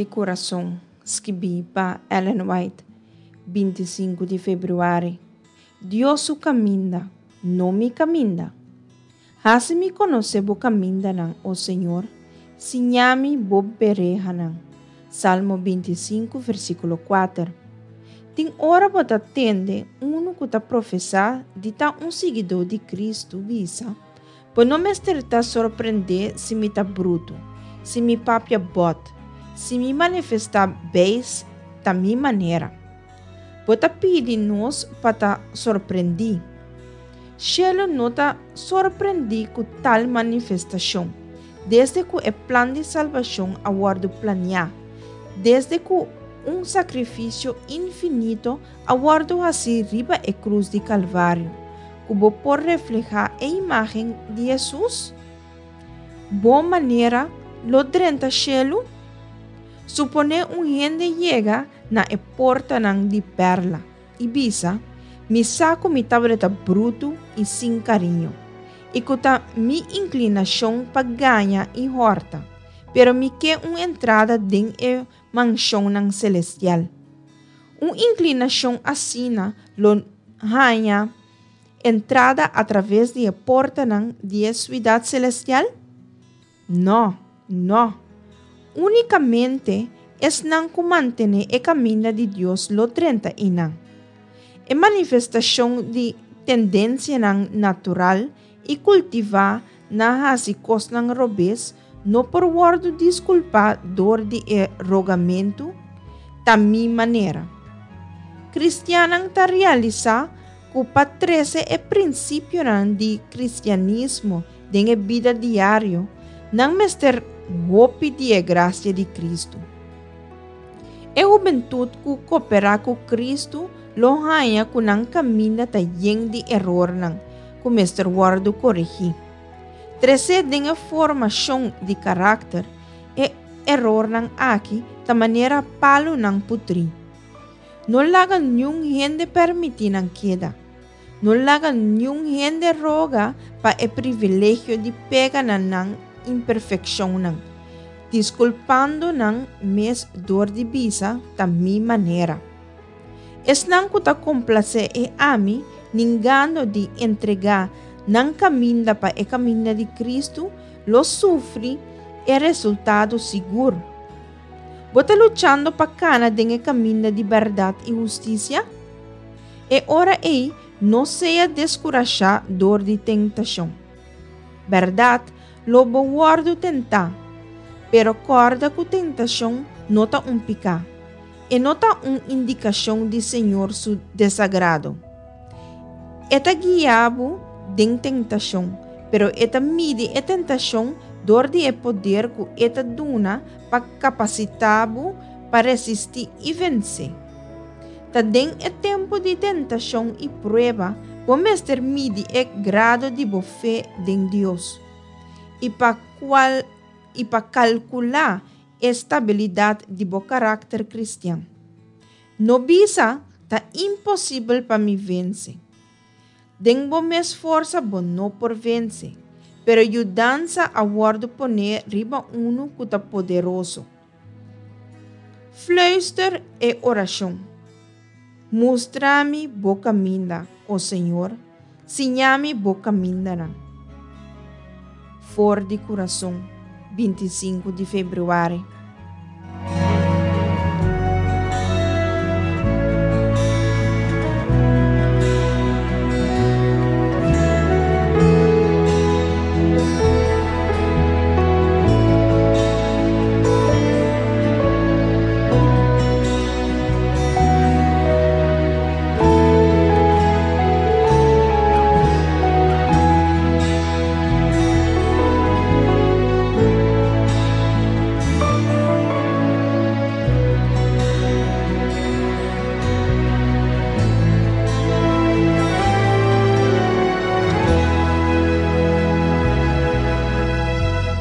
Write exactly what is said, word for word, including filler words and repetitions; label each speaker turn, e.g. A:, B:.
A: di Kurason, skibí pa Ellen White, binti sinku di febrüari. Dios su kaminda, no mi kaminda. Hasi mi konosé bo kamindanan, o Señor, siña mi bo berehanan. Salmo binti sinku, versíkulo kuater. Tin ora bo ta tende unu ku ta profesá di ta un siguidó di Kristu bisa, Bo no mester ta sorprendé si mi ta brutu, si mi papia bòt, si mi manifestá beis ta mi manera. Bo ta pidi nos pa ta sorprendí. Shelu no ta sorprendí ku tal manifestashon, desde ku e plan di salbashon a wòrdu planiá, desde ku un sakrifisio infinito a wòrdu hasí riba e krus di Kalvario, ku bo por reflehá e imágen di Hesus? Bo manera lo drenta shelu? Suponé un hende yega na e portanan di pèrla i bisa, Mi sa ku mi tabata brutu i sin kariño, i ku ta mi inklinashon pa gaña i hòrta, pero mi ke un entrada den e manshonnan selestial. Un inklinashon asina lo haña entrada atraves di e portanan di e siudat selestial? No, no. Únikamente esnan ku mantené e kaminda di Dios lo drenta einan. E manifestashon di tendensianan natural i kultivá na hasi kosnan robes no por wòrdu diskulpá dor di e rogamentu ta mi manera. Kristiannan ta realisá ku pa trese e prinsipionan di kristianismo den e bida diario, nan mester hopi di e grasia di Kristu. E hubentut ku koperá ku Kristu lo haña ku nan kaminda ta yen di erornan ku mester wòrdu koregí. Trese den e formashon di karakter, e erornan aki ta manera palunan putrí. No laga niun hende permití nan keda. No laga niun hende roga pa e privilegio di pega na nan imperfekshonnan, diskulpando nan mes dor di bisa ta mi manera. Esnan ku ta komplasé e ami, ningando di entregá nan kaminda pa e kaminda di Kristu, lo sufri e resultado sigur. Bo ta luchando pa kana den e kaminda di bèrdat i hustisia? E ora ei no sea deskurashá dor di tentashon. Bèrdat, lo bo wòrdu tentá, pero kòrda ku tentashon no ta un piká. E no ta un indikashon di Señor su desagrado. E ta guia bo den tentashon, pero e ta midi e tentashon dor di e poder ku e ta duna pa kapasitá bo pa resistí i vense. Ta den e tempu di tentashon i prueba bo mester midi e grado di bo fe den Dios i pa kual i pa kalkulá e stabilidat di bo karakter kristian. No bisa ta imposibel pa mi vense. Den bo mes forsa bo no por vense, pero yudansa a wòrdu poné riba unu ku ta poderoso. Fluister e orashon. Mustra mi bo kaminda, o Señor, siña mi bo kamindanan. For di Kurason, binti sinku di febrüari.